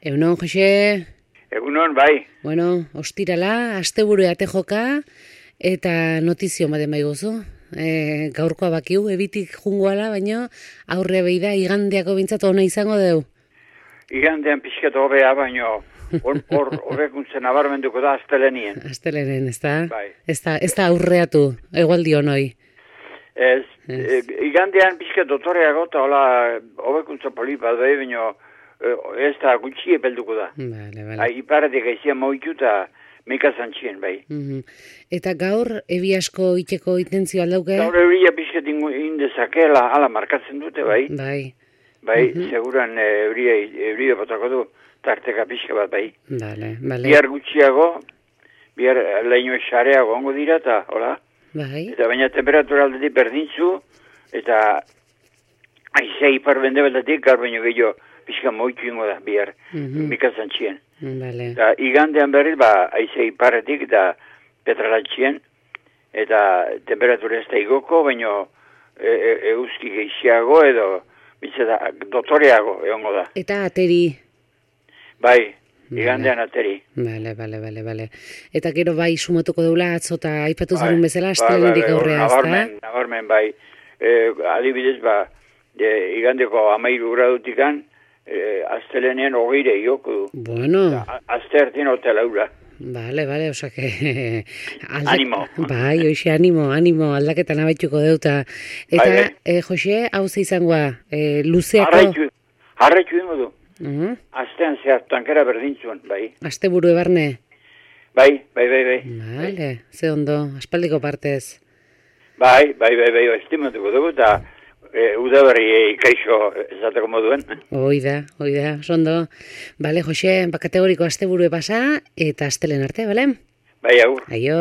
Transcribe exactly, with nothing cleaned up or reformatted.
Egunon, Jose. Egunon, bai. Bueno, ostirala, asteburu ate joka, eta notizio baden bai gozu. E, gaurkoa bakiu, ebitik jungoala, baino aurre behi da, igandeako bintzat ona izango deu. Igandean pixkat hobea, baino hor hobekuntzen nabarmenduko da astelenien. Astelenen, ez da? Bai. Ez da, ez da aurreatu, egualdi honoi. Ez, e, igandean pixkat dotoreago, eta hola hobekuntza polipa da, baino ez da gutxi epelduko da. Vale, vale. Hai, iparetik aizia moitu eta meka zantzien, bai. Mm-hmm. Eta gaur, ebi asko iteko intentzio aldauke? Gaur euria pixkat indezakela, ala markatzen dute, bai. Bai. Bai, Mm-hmm. seguran euria, euria botako du, tarteka pixka bat, bai. Vale, vale. Bihar gutxiago, bihar leino esareago ongo dira, eta, hola? Bai. Eta baina temperatura aldetik berdintzu, eta aizea ipar bende beltatik, gaur baino gehiago pixka moitu ingo da, bihar, Mm-hmm. mikazan txien. Vale. Eta igandean berriz, ba, aizea iparretik eta petralatxien, eta temperatura ez da igoko, baino e, e, euski geixiago edo, bizeta, dotoreago egongo da. Eta ateri. Bai, igandean ateri. Bale, bale, bale, bale. Eta gero bai sumatuko deula atzo eta aipatu Bai, zaren bezala, bai, astelenerik bai, bai, aurrea, ez da? Nabarmen, nabarmen, bai. E, adibidez, ba, e, igandeko amairu gradutikan, e, astelenean hogeire ioko du. Bueno, A- Aste hartien ote laura. bale, bale, osa que... Aldak... Animo. Bai, hoxe, animo, animo, aldaketan abaituko deuta. Eta, Bai, bai. eh, Jose, hau ze izangoa, eh, luzeako... Harraitu, harraitu ingo du. Uh-huh. Astean zehar tankera berdintzuen, bai. Aste buru ebarne. Bai, bai, bai, bai. Bale, ze ondo, aspaldiko partez. Bai, bai, bai, bai, estimatuko dugu, eta e, udaberri ikaixo esateko moduen. Hoi da, hoi da, sondo. Bale, Jose, ba, kategoriko asteburu pasa, eta astelen arte, bale? Bai, agur. Aio.